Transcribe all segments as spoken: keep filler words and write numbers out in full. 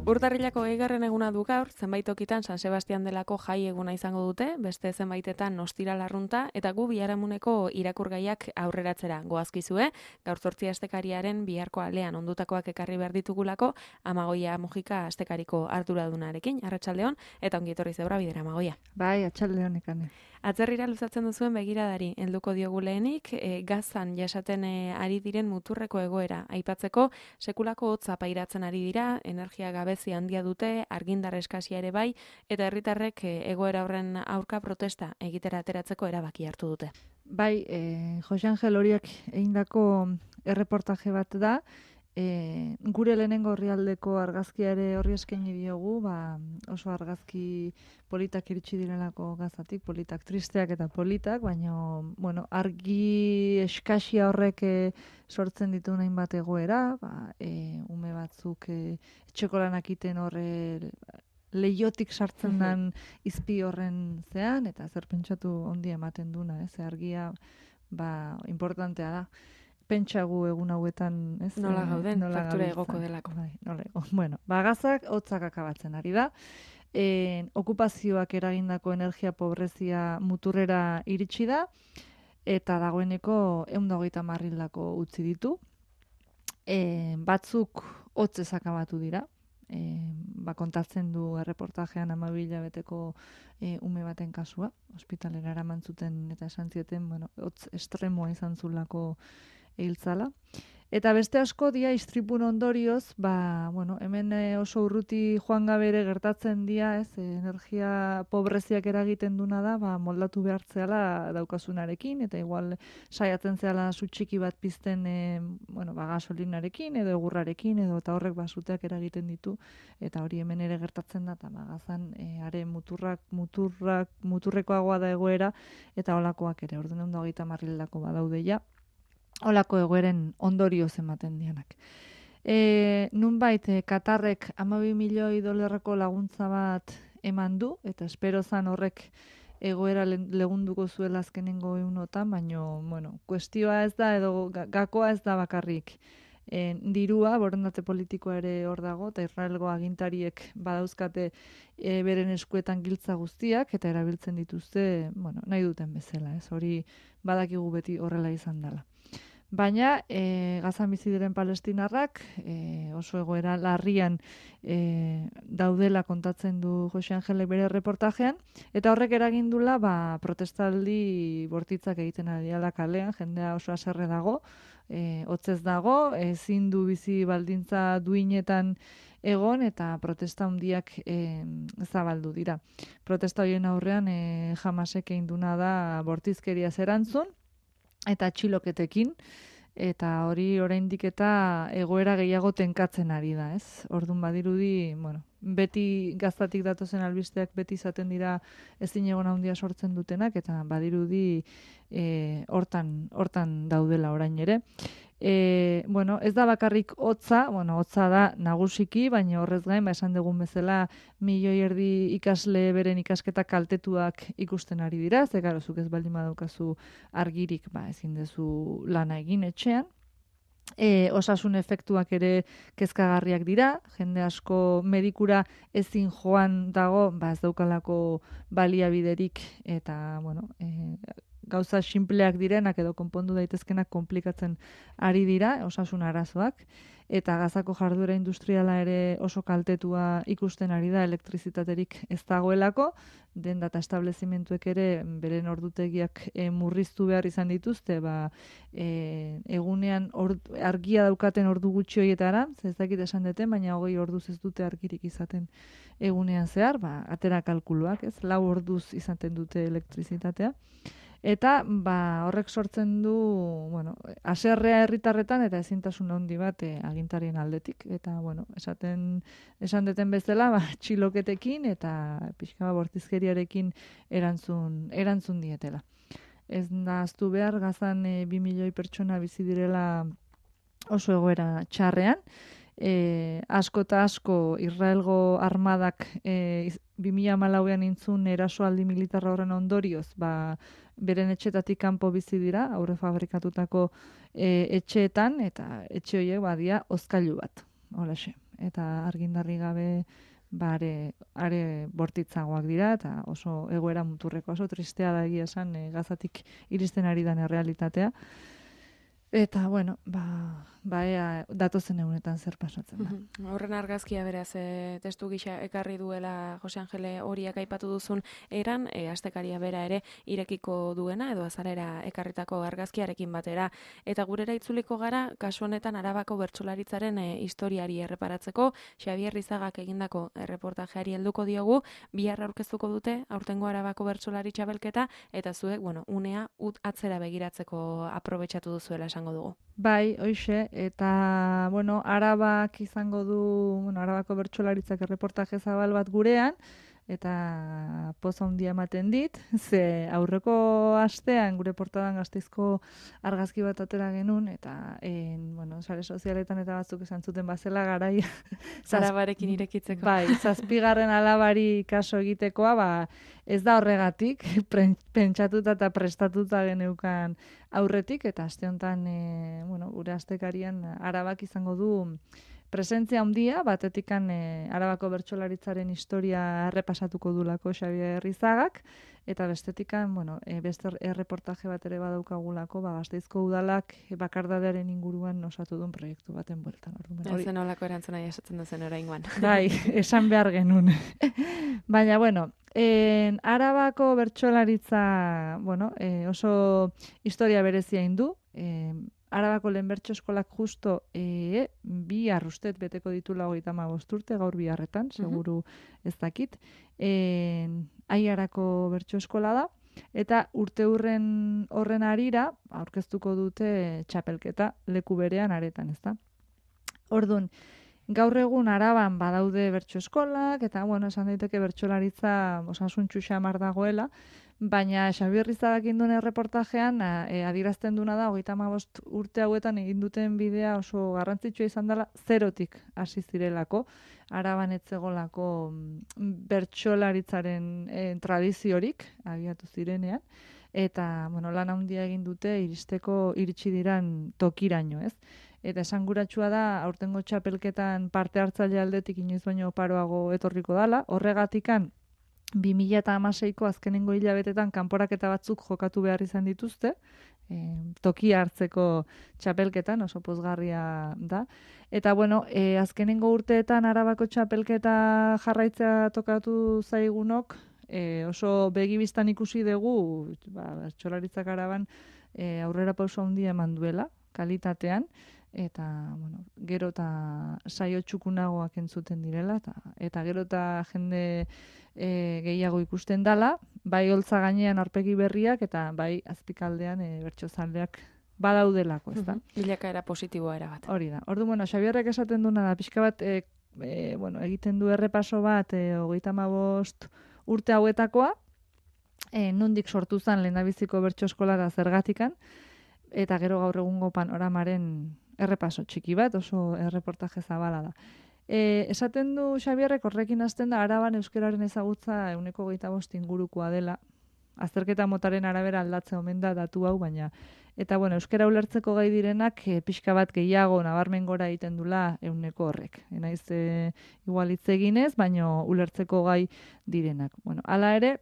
Urtarrilako eigarren eguna du gaur, zenbait tokitan San Sebastian delako jai eguna izango dute, beste zenbaitetan ostira larrunta, eta gu biharamuneko irakurgaiak aurreratzera goazkizue, gaur zortzi astekariaren biharko alean ondutakoak ekarri behar ditugulako, Amagoia Mujika astekariko arduradunarekin, arratsaldeon, eta ongi etorri zebra bidera, Amagoia. Bai, atxaldeon ekane. Atzerrira luzatzen duzuen begiradari, helduko diogu lehenik, e, gazan jasaten e, ari diren muturreko egoera. Aipatzeko, sekulako hotza pairatzen ari dira, energia gabezi handia dute, argindar eskasia ere bai, eta herritarrek e, egoera horren aurka protesta egitera ateratzeko erabaki hartu dute. Bai, e, Jose Angel horiak egindako erreportaje bat da, E, gure lehenengo orrialdeko argazkia ere horri eskaini diogu, ba, oso argazki politak iritsi direlako gazatik, politak tristeak eta politak, baina bueno, argi eskasia horrek e, sortzen ditu nahin bat egoera, ba, e, ume batzuk e, etxeko lanak iten horre leiotik sartzen den izpi horren zean, eta zer pentsatu ondi ematen duna, ez, argia ba, importantea da. Pentsagu egun hauetan, ez? Nola gauden, nola faktura gabiltza. egoko delako. Bai, nola ego. Bueno, bagazak hotzak akabatzen ari da. E, okupazioak eragindako energia pobrezia muturrera iritsi da, eta dagoeneko ehun eta hogeita hamar hildako utzi ditu. E, batzuk hotzez akabatu dira. E, ba, kontatzen du erreportajean hamabi hilabeteko e, ume baten kasua, ospitalera eraman zuten eta esan zieten, bueno, hotz estremoa izan zulako hiltzala. Eta beste asko dia istripun ondorioz, ba, bueno, hemen oso urruti joan gabere gertatzen dia, ez, energia pobreziak eragiten duna da, ba, moldatu behartzeala daukasunarekin, eta igual saiatzen zehala sutxiki bat pizten, e, bueno, ba, gasolinarekin, edo egurrarekin, edo eta horrek basuteak eragiten ditu, eta hori hemen ere gertatzen da, eta magazan, e, are muturrak, muturrak, muturrekoagoa da egoera, eta holakoak ere, orduan ehun eta hogeita hamar hildako badaude ja, holako egoeren ondorioz ematen dianak. E, nunbait, e, Katarrek hamabi milioi dolarreko laguntza bat eman du, eta espero zan horrek egoera legunduko zuela azkenengo egunotan, baina, bueno, kuestioa ez da, edo gakoa ez da bakarrik. E, dirua, borondate politikoa ere hor dago, eta Israelgo agintariek badauzkate e, beren eskuetan giltza guztiak, eta erabiltzen dituzte, bueno, nahi duten bezala, ez hori badakigu beti horrela izan dela. Baina e, Gazan bizi diren palestinarrak e, oso egoera larrian e, daudela kontatzen du Jose Angelek bere reportajean, eta horrek eragindula ba, protestaldi bortitzak egiten ari dela kalean, jendea oso haserre dago, e, hotzez dago, ezin du bizi baldintza duinetan egon, eta protesta handiak e, zabaldu dira. Protesta horien aurrean e, Hamasek egin duna da bortizkeria erantzun, eta atxiloketekin, eta hori oraindik eta egoera gehiago tenkatzen ari da, ez? Orduan badirudi, bueno, beti gaztatik datozen albisteak beti izaten dira ezin egon handia sortzen dutenak, eta badirudi e, hortan, hortan daudela orain ere. E, bueno, ez da bakarrik hotza, bueno, hotza da nagusiki, baina horrez gain, ba, esan dugun bezala milioi erdi ikasle beren ikasketak kaltetuak ikusten ari dira, ze gero zuk ez baldin badaukazu argirik, ba, ezin dezu lana egin etxean. E, osasun efektuak ere kezkagarriak dira, jende asko medikura ezin joan dago, ba, ez daukalako baliabiderik, eta, bueno, e, gauza sinpleak direnak edo konpondu daitezkenak konplikatzen ari dira, osasun arazoak, eta Gazako jarduera industriala ere oso kaltetua ikusten ari da, elektrizitaterik ez dagoelako, den data establezimentuek ere beren ordutegiak e, murriztu behar izan dituzte, ba, e, egunean or, argia daukaten ordu gutxi horietara, ez dakit esan deten, baina hogei orduz ez dute argirik izaten egunean zehar, ba, atera kalkuluak, ez, lau orduz izaten dute elektrizitatea. Eta ba, horrek sortzen du, bueno, haserrea herritarretan eta ezintasun handi bat e, agintarien aldetik. Eta, bueno, esaten, esan deten bezala, ba, txiloketekin eta pixka bortizkeriarekin erantzun, erantzun dietela. Ez da aztu behar, Gazan e, bi milioi pertsona bizi direla oso egoera txarrean. E, asko eta asko Israelgo armadak e, bi mila hamalauean intzun erasoaldi militarra horren ondorioz, ba, beren etxetatik kanpo bizi dira, aurre fabrikatutako e, etxeetan, eta etxe horiek badia hozkailu bat. Holaxe. eta argindarri gabe bare are bortitzagoak dira eta oso egoera muturreko, oso tristea da egia esan e, Gazatik iristen ari den errealitatea. Eta, bueno, ba, ba ea datozen egunetan zer pasatzen da. Horren argazkia beraz, e, testu gisa ekarri duela Jose Angele horiak aipatu duzun eran, e, astekaria bera ere irekiko duena, edo azalera ekarritako argazkiarekin batera. Eta gurera itzuliko gara, kasu honetan Arabako bertsolaritzaren e, historiari erreparatzeko, Xabier Rizagak egindako erreportajeari helduko diogu, bihar aurkeztuko dute, aurtengo Arabako bertsolari txapelketa, eta zuek, bueno, unea ut atzera begiratzeko aprobetxatu duzuela esango dugu. Bai, hoixe, eta, bueno, Arabak izango du, bueno, Arabako bertsolaritzak erreportaje zabal bat gurean, eta poza handia ematen dit, ze aurreko astean gure portadan Gasteizko argazki bat atera genuen, eta, en, bueno, sare sozialetan eta batzuk esan zuten bazela garai. Arabarekin irekitzeko. Bai, zazpigarren alabari kaso egitekoa, ba, ez da horregatik, pentsatuta eta prestatuta geneukan aurretik, eta aste honetan, e, bueno, gure astekarian Arabak izango du presentzia handia, batetikan e, Arabako bertsolaritzaren historia errepasatuko dulako Xabier Rizagak, eta bestetikan, bueno, e, beste erreportaje bat ere badaukagulako, ba, Gasteizko udalak bakardadearen inguruan osatu duen proiektu baten bueltan. Ez zen olako erantzuna jasotzen duzen oraingoan. Bai, esan behar genuen. Baina, bueno, en, Arabako bertsolaritza, bueno, e, oso historia berezia indu, e, Arabako lehen bertso eskolak justo e, bi arrustet beteko ditula hogeita hamabost urte, gaur biharretan, seguru ez dakit. E, Aiarako bertso eskola da, eta urte hurren horren arira aurkeztuko dute txapelketa leku berean aretan, ezta? Orduan, gaur egun Araban badaude bertso eskolak, eta, bueno, esan daiteke bertsolaritza osasuntsu xamar dagoela, baina Xabier Rizagak induen erreportajean e, adierazten duna da, hogeita hamabost urte hauetan egin duten bidea oso garrantzitsua izan dela, zerotik hasi zirelako, Araban etzegolako bertsolaritzaren e, tradiziorik abiatu zirenean, eta, bueno, lan handia egin dute iristeko iritsi diran tokiraino, ez? Eta esanguratsua da, aurtengo txapelketan parte hartzaile aldetik inoiz baino oparoago etorriko dala, horregatikan bi mila hamaseiko azkenengo hilabetetan kanporaketa batzuk jokatu behar izan dituzte, e, tokia hartzeko txapelketan, oso pozgarria da. Eta, bueno, e, azkenengo urteetan Arabako txapelketa jarraitzea tokatu zaigunok, e, oso begibistan ikusi dugu, ba, txolaritzak Araban e, aurrera pauso handia eman duela, kalitatean, eta, bueno, gero eta saio txukunagoak entzuten direla, eta, eta gero eta jende e, gehiago ikusten dala, bai holtza gainean aurpegi berriak, eta bai azpikaldean e, bertsozaleak badaudelako, ez da? Bilakaera positiboa erabat. Hori da. Ordu, bueno, Xabierrek esaten duna da, pixka bat, e, e, bueno, egiten du errepaso bat, e, hogeita hamabost urte hauetakoa, e, nondik sortu zen lehendabiziko bertso eskola da zergatikan, eta gero gaur egungo panoramaren errepaso txiki bat, oso erreportaje zabala da. E, esaten du Xabierrek horrekin hasten da Araban euskararen ezagutza ehuneko hogeita bost ingurukoa dela. Azterketa motaren arabera aldatzen omen da datu hau, baina eta bueno, euskara ulertzeko gai direnak e, pixka bat gehiago nabarmen gora egiten dula ehuneko horrek. Enaiz e, igual hitz eginez, baina ulertzeko gai direnak. Bueno, hala ere,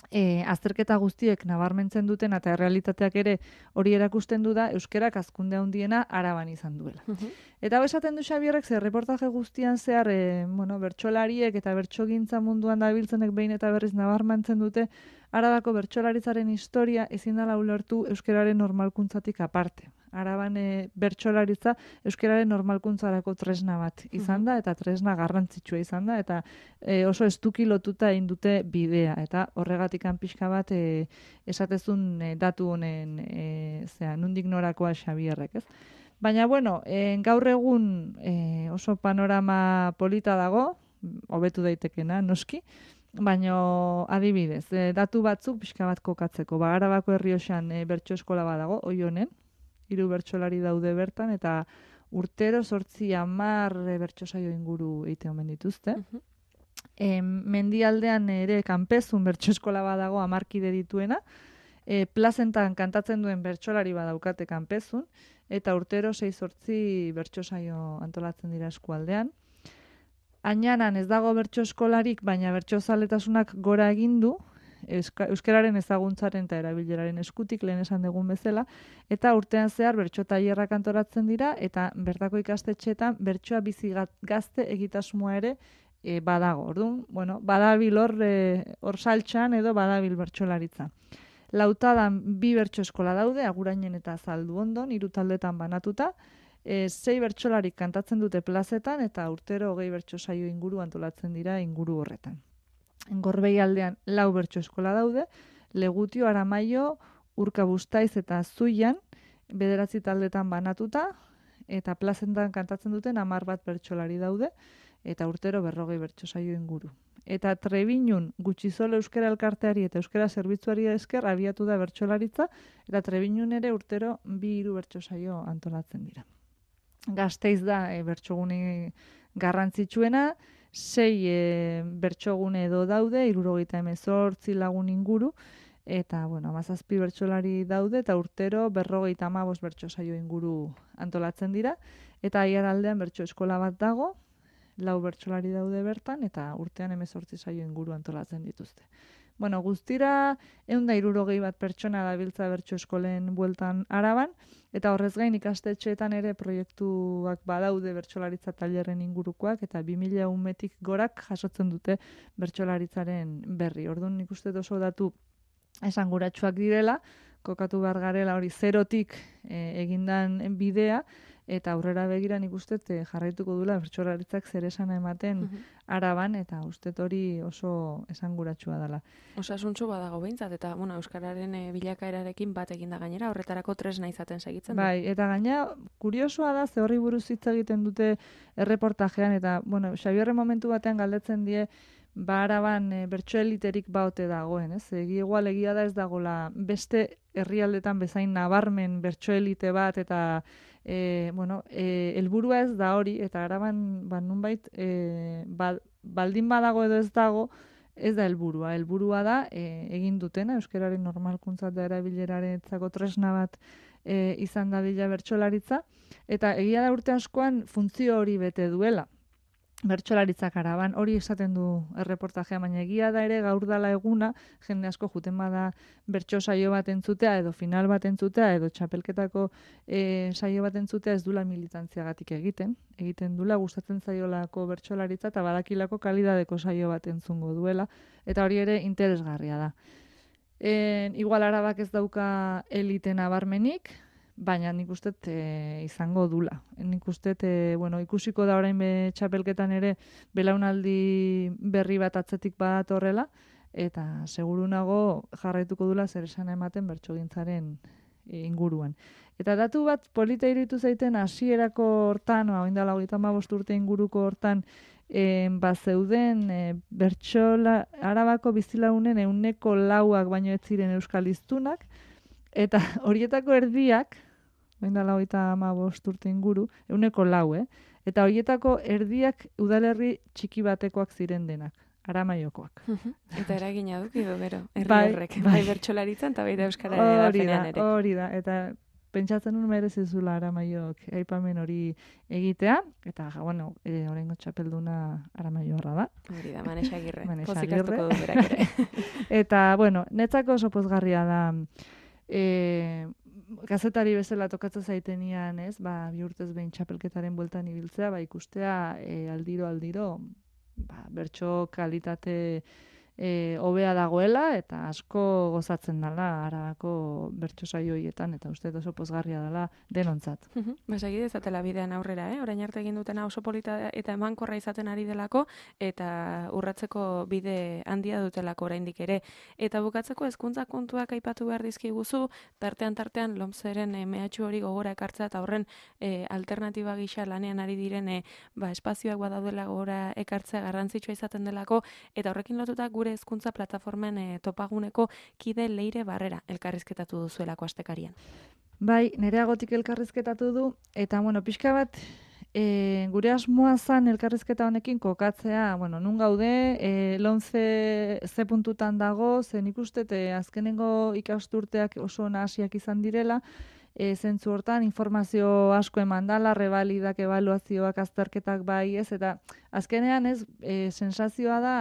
E, azterketa guztiek nabarmentzen duten eta errealitateak ere hori erakusten du da euskerak hazkunde handiena Araban izan duela. Uh -huh. Eta hau esaten du Xabierrek, ze reportaje guztian zehar e, bueno, bertsolariek eta bertsogintza munduan dabiltzenek behin eta berriz nabarmentzen dute Arabako bertsolaritzaren historia ezin dela ulertu euskararen normalkuntzatik aparte. Araban e, bertsolaritza euskararen normalkuntzarako tresna bat izan da, eta tresna garrantzitsua izan da, eta e, oso estuki lotuta egin dute bidea, eta horregatikan pixka bat e, esatezun e, datu honen e, zera, nundik norakoa Xabierrek, ez? Baina, bueno, e, gaur egun e, oso panorama polita dago, hobetu daitekena, noski, baina adibidez, e, datu batzuk pixka bat kokatzeko, ba, Arabako Errioxan e, bertso eskola badago, oi honen, hiru bertsolari daude bertan, eta urtero sortzi hamar e, bertso saio inguru eite omen dituzte. Uh -huh. e, mendialdean ere kanpezun bertso eskola badago hamarkide dituena, e, plazentan kantatzen duen bertsolari badaukate kanpezun, eta urtero sei zortzi bertso saio antolatzen dira eskualdean. Ainanan ez dago bertso eskolarik, baina bertso zaletasunak gora egin du, euskararen ezaguntzaren eta erabileraren eskutik lehen esan dugun bezala, eta urtean zehar bertso tailerrak antolatzen dira, eta bertako ikastetxeetan bertsoa bizi gazte egitasmoa ere e, badago. Orduan, bueno, badabil hor e, hor saltxan edo badabil bertsolaritza. Lautadan bi bertso eskola daude, Agurainen eta Zaldu Ondon, hiru taldetan banatuta, e, sei bertsolarik kantatzen dute plazetan, eta urtero hogei bertso saio inguru antolatzen dira inguru horretan. Gorbei aldean lau bertso eskola daude, Legutio, Aramaio, Urka Bustaiz eta Zuian, bederatzi taldetan banatuta, eta plazentan kantatzen duten hamar bat bertsolari daude, eta urtero berrogei bertso saio inguru. Eta Trebinun Gutxizole Euskara Elkarteari eta Euskara Zerbitzuari esker abiatu da bertsolaritza, eta Trebinun ere urtero bi hiru bertso saio antolatzen dira. Gasteiz da e, bertsogune garrantzitsuena, sei e, bertsogune edo daude, hirurogeita hemezortzi lagun inguru, eta, bueno, hamazazpi bertsolari daude, eta urtero berrogeita hamabost bertso saio inguru antolatzen dira, eta Aiaraldean bertso eskola bat dago, lau bertsolari daude bertan, eta urtean hemezortzi saio inguru antolatzen dituzte. Bueno, guztira ehun eta hirurogei bat pertsona dabiltza bertso eskolen bueltan Araban, eta horrez gain ikastetxeetan ere proiektuak badaude bertsolaritza tailerren ingurukoak, eta bi mila umetik gorak jasotzen dute bertsolaritzaren berri. Orduan nik uste oso datu esanguratsuak direla, kokatu behar garela hori zerotik e, egindan bidea, eta aurrera begira nik uste jarraituko dula bertsolaritzak zer esana ematen uh-huh. Araban, eta uste hori oso esanguratsua dela. Osasuntsu badago behintzat, eta bueno, euskararen e, bilakaerarekin bat eginda gainera, horretarako tresna izaten segitzen du. Bai, eta gaina, kuriosoa da, ze horri buruz hitz egiten dute erreportajean, eta, bueno, Xabierren momentu batean galdetzen die, ba Araban e, bertso eliterik baote dagoen, ez? Egi igual egia da ez dagola beste herrialdetan bezain nabarmen bertso elite bat, eta E, bueno, e, helburua ez da hori, eta Araban ba, nunbait e, ba, baldin badago edo ez dago, ez da helburua. Helburua da e, egin dutena, euskararen normalkuntzat da erabileraretzako tresna bat e, izan dadila bertsolaritza, eta egia da urte askoan funtzio hori bete duela. Bertsolaritzak Araban, hori esaten du erreportajea, baina egia da ere gaur dala eguna, jende asko juten bada bertso saio bat entzutea, edo final bat entzutea, edo txapelketako e, saio bat entzutea ez dula militantziagatik egiten. Egiten dula gustatzen zaiolako bertsolaritza eta badakilako kalidadeko saio bat entzungo duela, eta hori ere interesgarria da. E, igual Arabak ez dauka elite nabarmenik, baina nik uste e, izango dula. Nik uste, e, bueno, ikusiko da orain be txapelketan ere belaunaldi berri bat atzetik bat horrela, eta segurunago jarraituko dula zer esan ematen bertsogintzaren e, inguruan. Eta datu bat polita iruditu zaiten hasierako hortan, orain dela hogeita hamabost urte inguruko hortan, e, bazeuden e, bertsola Arabako bizilagunen ehuneko lauak baino ez ziren euskal hiztunak, eta horietako erdiak, orain dela hogeita hamabost urte inguru, ehuneko lau, eh? Eta horietako erdiak udalerri txiki batekoak ziren denak, Aramaiokoak. Eta eragina duki du gero, herri bai, horrek, bai, bai bertsolaritzan eta baita euskara edapenean ere. Hori da, eta pentsatzen nun merezizula Aramaiok aipamen hori egitea, eta, bueno, e, oraingo txapelduna Aramaioarra da. Hori da, Manexa Agirre. Manexa Pozik Agirre. hartuko du berak ere. Eta, bueno, netzako oso pozgarria da, e, gazetari bezala tokatzen zaitenian, ez, ba, bi urtez behin txapelketaren bueltan ibiltzea, ba, ikustea e, aldiro, aldiro, ba, bertso kalitate e, hobea dagoela, eta asko gozatzen dela Arabako bertso saio horietan, eta uste oso pozgarria dela denontzat. Basagi dezatela bidean aurrera, eh? Orain arte egin dutena oso polita eta emankorra izaten ari delako, eta urratzeko bide handia dutelako oraindik ere. Eta bukatzeko hezkuntza kontuak aipatu behar dizkiguzu, tartean tartean lomzeren e, mehatxu hori gogora ekartzea, eta horren e, alternatiba gisa lanean ari diren e, ba, espazioak badaudela gogora ekartzea garrantzitsua izaten delako, eta horrekin lotuta gure hezkuntza plataformen e, topaguneko kide Leire Barrera elkarrizketatu duzuelako astekarian. Bai, nereagotik elkarrizketatu du, eta, bueno, pixka bat, e, gure asmoa zan elkarrizketa honekin kokatzea, bueno, nun gaude, e, lomze ze puntutan dago, zen ikustete azkenengo ikasturteak oso nahasiak izan direla, e, zentzu hortan informazio asko eman dala, rebalidak, ebaluazioak, azterketak bai, ez, eta azkenean ez, e, sensazioa da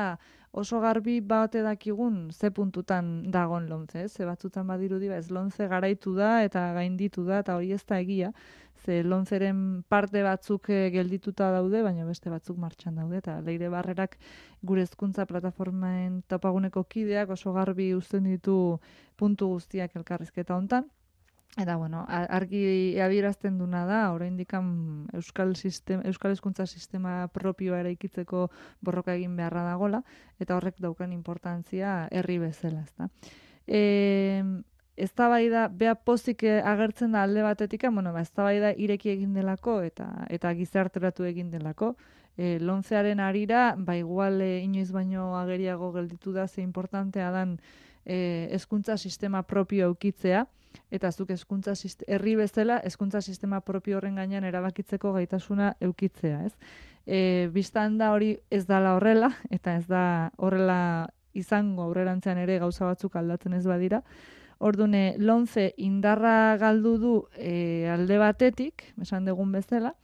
oso garbi baute dakigun ze puntutan dagon lomce, ez, ze batzutan badirudi, ba, ez lomce garaitu da eta gainditu da, eta hori ez da egia, ze lomceren parte batzuk geldituta daude, baina beste batzuk martxan daude, eta Leire Barrerak gure hezkuntza plataformaen topaguneko kideak oso garbi uzten ditu puntu guztiak elkarrizketa hontan. Eta, bueno, argi adierazten duna da, oraindik euskal sistema, euskal hezkuntza sistema propioa eraikitzeko borroka egin beharra dagola, eta horrek daukan importantzia herri bezala, ezta. E, eztabaida bea pozik agertzen da alde batetik, bueno, ba, eztabaida ireki egin delako eta eta gizarteratu egin delako. E, lomcearen arira, ba igual e, inoiz baino ageriago gelditu da ze importantea dan e, hezkuntza sistema propio eukitzea, eta zuk hezkuntza herri bezala hezkuntza sistema propio horren gainean erabakitzeko gaitasuna eukitzea, ez? E, bistan da hori ez dala horrela, eta ez da horrela izango aurrerantzean ere gauza batzuk aldatzen ez badira. Ordune, lomce indarra galdu du e, alde batetik, esan dugun bezala,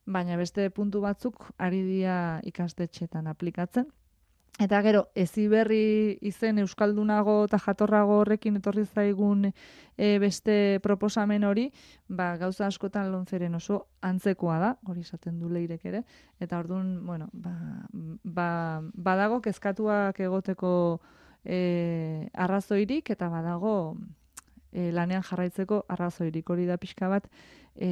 baina beste puntu batzuk ari dira ikastetxetan aplikatzen. Eta gero, Heziberri izen euskaldunago eta jatorrago horrekin etorri zaigun e, beste proposamen hori, ba, gauza askotan lomceren oso antzekoa da, hori esaten du Leirek ere, eta orduan, bueno, ba, ba, badago kezkatuak egoteko e, arrazoirik, eta badago e, lanean jarraitzeko arrazoirik, hori da pixka bat, e,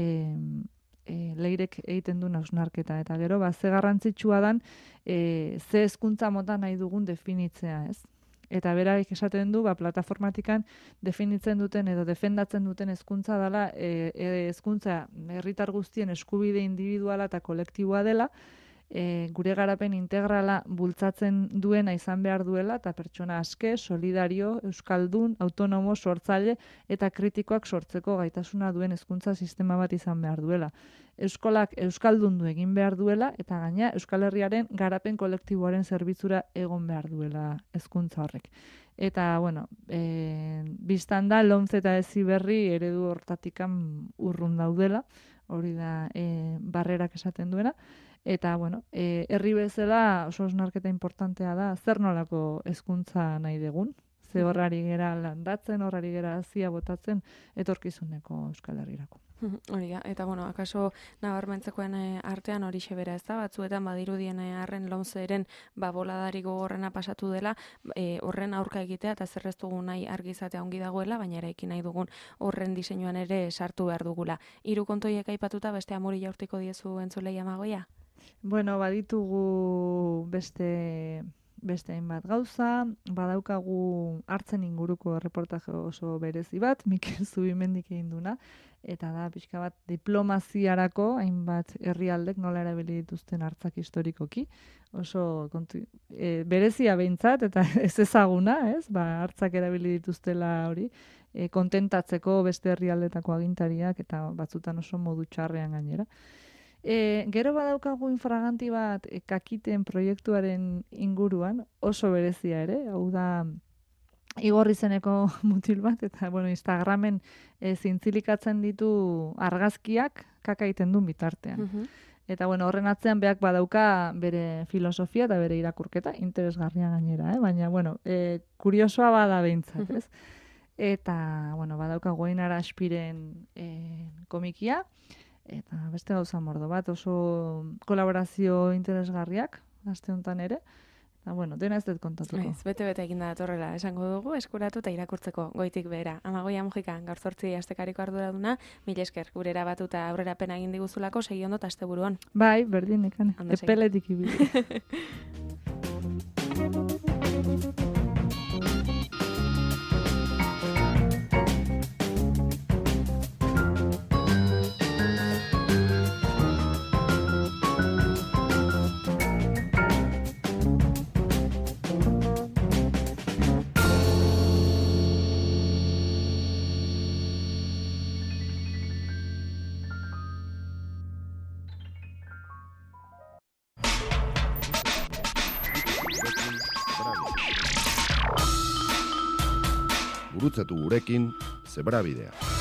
E, Leirek egiten du hausnarketa, eta gero, ba, ze garrantzitsua dan, e, ze hezkuntza mota nahi dugun definitzea, ez? Eta beraik esaten du, ba, plataformatikan definitzen duten edo defendatzen duten hezkuntza dela, e, e, hezkuntza herritar guztien eskubide individuala eta kolektiboa dela, e, gure garapen integrala bultzatzen duena izan behar duela, eta pertsona aske, solidario, euskaldun, autonomo, sortzaile eta kritikoak sortzeko gaitasuna duen hezkuntza sistema bat izan behar duela. Euskolak euskaldundu egin behar duela, eta gaina Euskal Herriaren garapen kolektiboaren zerbitzura egon behar duela hezkuntza horrek. Eta, bueno, e, biztan da, lomce eta Heziberri eredu hortatikan urrun daudela, hori da e, Barrerak esaten duena. Eta, bueno, e, herri bezala oso osnarketa importantea da, zer nolako hezkuntza nahi dugun, ze horrari gera landatzen, horrari gera hazia botatzen, etorkizuneko Euskal Herrirako. Hori da, eta, bueno, akaso nabarmentzekoen artean hori xebera ez da, batzuetan badirudien arren lomceren baboladari gogorrena pasatu dela, e, horren aurka egitea eta zer ez dugun nahi argizatea ongi dagoela, baina eraikin nahi dugun horren diseinuan ere sartu behar dugula. Hiru kontoiek aipatuta beste amori jaurtiko diezu entzulei Amagoia? Bueno, baditugu beste beste hainbat gauza, badaukagu hartzen inguruko reportaje oso berezi bat, Mikel Zubimendik egin duna, eta da pixka bat diplomaziarako hainbat herrialdek nola erabili dituzten hartzak historikoki, oso kontu, e, berezia behintzat, eta ez ezaguna, ez? Ba, hartzak erabili dituztela hori, e, kontentatzeko beste herrialdetako agintariak, eta batzutan oso modu txarrean gainera. E, gero badaukagu infraganti bat e, kakiten proiektuaren inguruan, oso berezia ere, hau da Igor izeneko mutil bat, eta bueno, Instagramen e, zintzilikatzen ditu argazkiak kaka egiten duen bitartean. Uh-huh. Eta bueno, horren atzean beak badauka bere filosofia eta bere irakurketa, interesgarria gainera, eh? Baina bueno, e, kuriosoa bada behintzat, ez? Eta bueno, badauka Goinara Aspiren e, komikia, eta beste gauza mordo bat, oso kolaborazio interesgarriak, aste honetan ere, eta bueno, dena ez dut kontatuko. Ez, bete-bete egin da datorrela, esango dugu, eskuratu eta irakurtzeko goitik behera. Amagoia Mujika, gaur zortzi astekariko arduraduna, mila esker, gure erabatu eta aurrerapena egin diguzulako, segi ondo eta asteburuan. Bai, berdin, ekan, epeletik ibili. Gurutzatu gurekin Zebrabidea.